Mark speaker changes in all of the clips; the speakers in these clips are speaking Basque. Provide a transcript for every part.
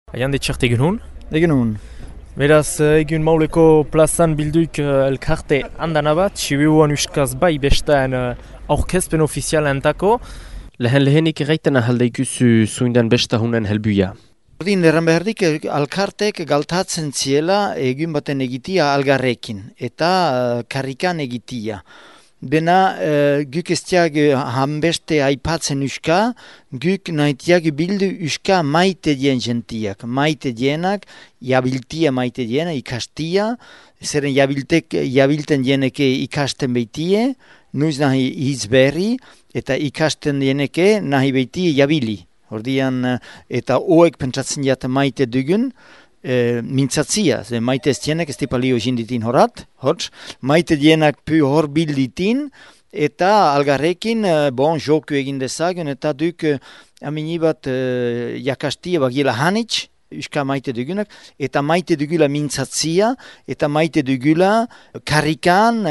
Speaker 1: Aian ditxart egun hon?
Speaker 2: Egun hon.
Speaker 1: Beraz, egun mauleko plazan bilduik elkarte handana bat, Sibiuan uskaz bai bestaan aurkezpen ofizialentako. Lehenik erraiten ahalde ikusu zuindan besta hunen helbuia.
Speaker 2: Ordin erran behardik, alkartek galtatzen ziela egun baten egitia algarrekin eta karrikan egitia. Dena guk estiag hanbeste aipatzen uska, guk nahitiak bildu uska maite dien jentiak. Maite dienak, jabiltia maite diena, ikastia, zeren jabilten dieneke ikasten beitie, nuiz nahi izberri, eta ikasten dieneke nahi beitie jabili. Ordian, eta oek pentsatzen jaten maite dugun, mintzatzia, maite ez dienak ez tipalio jinditin horat, maite dienak pu hor bilditin, eta algarrekin joku egin dezagun, eta duk amini bat jakastia bagila hanitz, uska maite dugunak, eta maite dugula mintzatzia, eta maite dugula karrikan,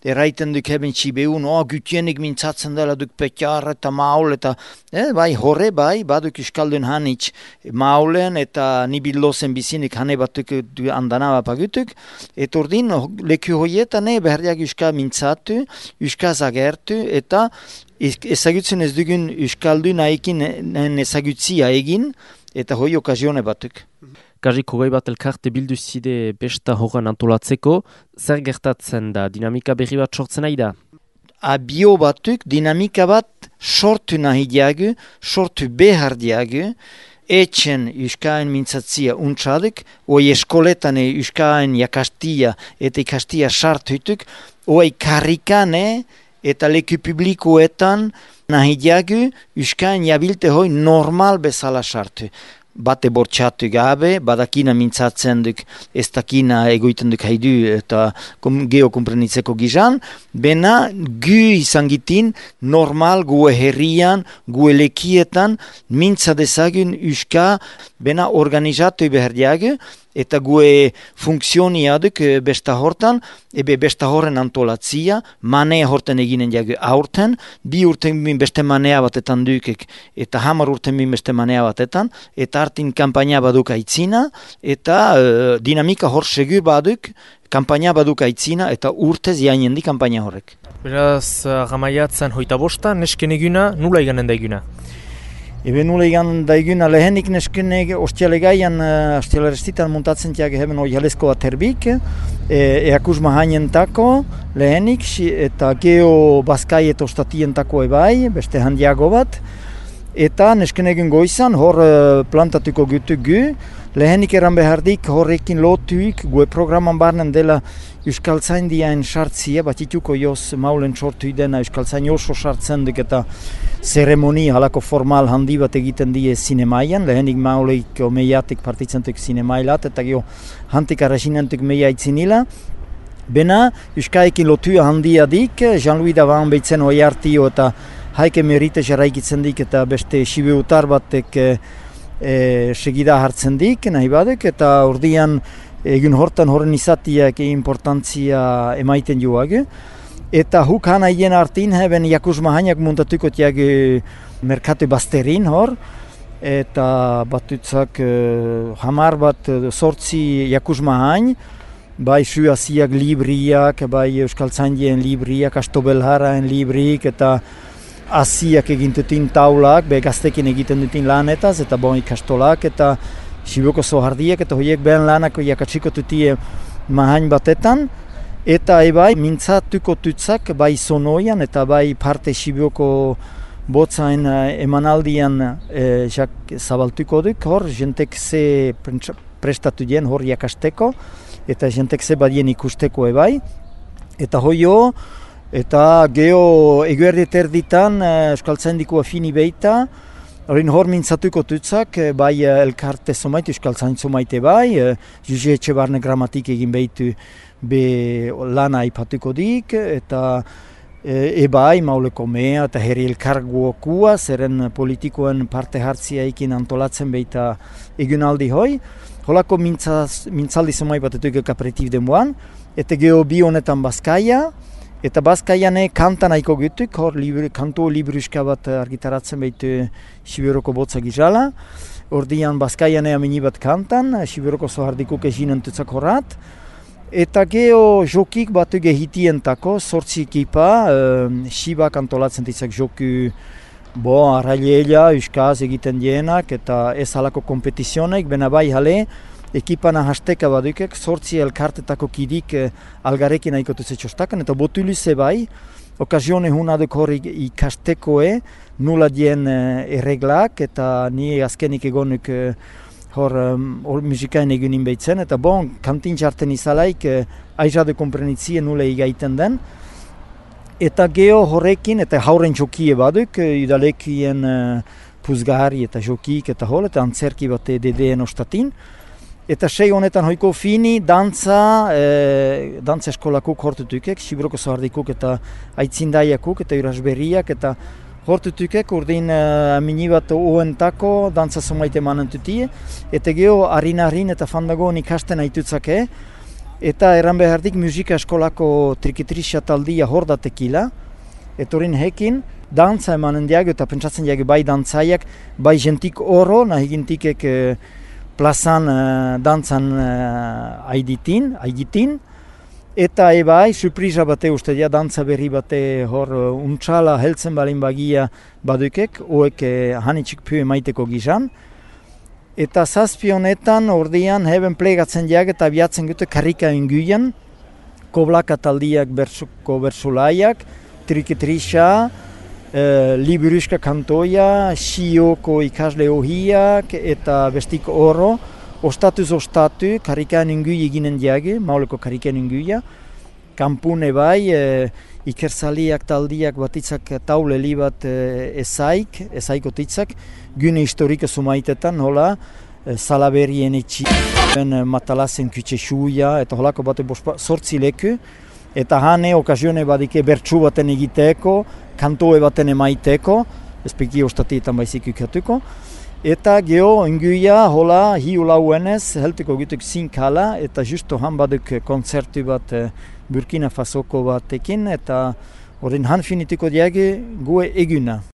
Speaker 2: erraiten duk heben txibeun, gutienik mintzatzen dela duk petjar eta maul, eta bai horre bai, baduk uskaldun hanitz maulen, eta nibillozen bizinik hane batuk andana bapagutuk, eta ordin leku hoietan beharriak uska mintzatu, uska zagertu, eta ezagutzen ez dugun uskaldun haikin ezagutzia egin, eta hoi okazione batuk.
Speaker 1: Karrik hogei bat elkarte bildu zide besta horren antolatzeko, zer gertatzen da, dinamika berri bat sortzen nahi da?
Speaker 2: Abio batuk dinamika bat sortu nahi diagu, sortu behar diagu, etxen uskaen mintzatzia untsaduk, oi eskoletan uskaen jakastia eta ikastia sartutuk, oi karrikane eta leku publikoetan nahi diagu uskaen jabilte hoi normal bezala sartu. Bate bortxatu gabe, badakina mintzatzen duk, ez dakina egoiten duk haidu eta geokomprenitzeko gizan, bena gu izan gitin normal gue herrian, gue lekietan mintza dezagun uska bena organizatu behar diagu, eta gue funktsionia duk besta hortan, besta horren antolatzia, manea horten eginen diagu aurten, 2 urten bin beste manea batetan dukek, eta 10 urten bin beste manea batetan, eta hartin kampaina baduk aitzina, eta dinamika hor segur baduk, kampaina baduk aitzina, eta urtez jainen di kampaina horrek.
Speaker 1: Beraz, gamaiatzen hoita bosta, nesken eguna, nula iganen da eguna?
Speaker 2: Nula egan daiguna lehenik neskenek ostialegaian, ostialerestitan muntatzen tiak heben oihalezko aterbik, eakus mahanientako lehenik, eta geo bazkai eta ostatientako ebai, beste handiago bat, eta neskenegen goizan hor plantatuko gutuk gu, lehenik eran behardik horrekin lotuik, gue programan barnen dela Euskaltzaindiaen sartzia, batituko joz maulen sortu idena Euskaltzain oso sartzen duk eta zeremonia halako formal handi bat egiten die zinemaian, lehenik mauleik omeiatik partitzentuk zinemailat, eta gero hantik arrasinentuk meia itzinila. Bena, Euskaekin lotua handia dik, Jean-Louis Davan behitzen hoi hartio eta haike merite jarraikitzen dik eta beste Sibiutar batek segida hartzen dik, nahi badek, eta ordian egun hortan horren izatiak importantzia emaiten joak. Eta huk hana hien artin heben jakus mahainak muntatuko tiak merkatu bazterin hor. Eta batutzak 10 bat 8 jakus mahain, bai suaziak libriak, bai Euskaltzaindien libriak, Astobelharaen librik, eta asiak egintetin taulak, gaztekin egiten dutin lanetaz, eta bon ikastolak, eta Sibioko zohardiak, eta horiek behen lanako jakatsiko tutie mahain batetan, eta ebai mintzatuko tutzak bai sonoian, eta bai parte Sibioko botzain emanaldian zabaltuko duk, hor jentek ze prestatu dien hor jakasteko, eta jentek ze badien ikusteko ebai, eta hoio, eta geho eguerdet erditan Euskaltzaindiko afini beita, Horin hor mintzatuko tutzak, bai elkarte zomaite, Euskaltzain zomaite bai, Juge Etxebarne gramatik egin behitu be lana aipatuko dik, eta ebai mauleko mea eta herri elkarguokua, zeren politikoen parte hartzia ekin antolatzen behita egunaldi hoi. Holako mintzaldi zomai batetuk kapretib demoan, eta geho bi honetan Bazkaia, Eta Bazkaian kantan aiko gutuk, hor kantu libruska bat argitaratzen behitu Sibioroko botza gizala. ordian Bazkaian ea mini bat kantan, Siberoko zohardikuk eginen tutzak horrat. Eta geho jokik batu gehitientako, 8 ekipa, Sibak antolatzen ditzak joku arraileela, euskaz egiten dienak, eta ez halako kompetizionek, bena bai hale, ekipana hasteka badukek, 8 elkartetako kidik algarekin aikotu zetxostakan, eta botulize bai, okazione hunaduk hori ikastekoe, nula dien erreglak, eta ni azkenik egonuk hor musikain egunin behitzen, eta kantin jarten izalaik aizade komprenitzien nule igaiten den. Eta geho horrekin, eta hauren jokie baduk, udalekien puzgari eta jokik eta hol, eta antzerki bat DDN ostatin. Eta sei honetan hoiko fini, dantza eskolakuk hortutukek, Siberoko zohardikuk eta aitzindaiakuk eta urasberriak, eta hortutukek urdin mini bat oentako dantza somaite manentutie, eta geho harin eta fandagoen ikasten aitutzake, eta erran behardik musika eskolako trikitrizia taldia hor datekila, eta horin hekin dantza emanen diago eta pentsatzen diago bai dantzaiak, bai jentik oro, nahi gintikek plazan dantzan aiditin, eta ebai, surpriza bate uste dia, dantza berri bate hor untxala heltzen balin bagia badukek, oek hanitxik pue maiteko gizan. Eta zazpi honetan ordian heben plegatzen diak eta biatzen gute karrika inguien, koblaka taldiak bersuko bersulaiak, trikitrisha, liburuska kantoia, sioko ikasle ohiak eta bestik oro, ostatuz ostatu, karrikan ingui eginen diage, mauleko karrikan inguia, kampune bai, ikersaliak taldiak batitzak tauleli bat ezaiko titzak, gune historika sumaitetan, hola, salaberien etxi, matalazen kutxexuia, eta holako bate 8 leku, eta hane okazione badike bertsu baten egiteko, kantoe baten emaiteko, espeki ostatietan baizik ikatuko, eta geho inguia hola hiu lauenez heltuko gutuk zinkala, eta justo han baduk konzertu bat Burkina Fasoko batekin, eta horren han finituko diage gue eguna.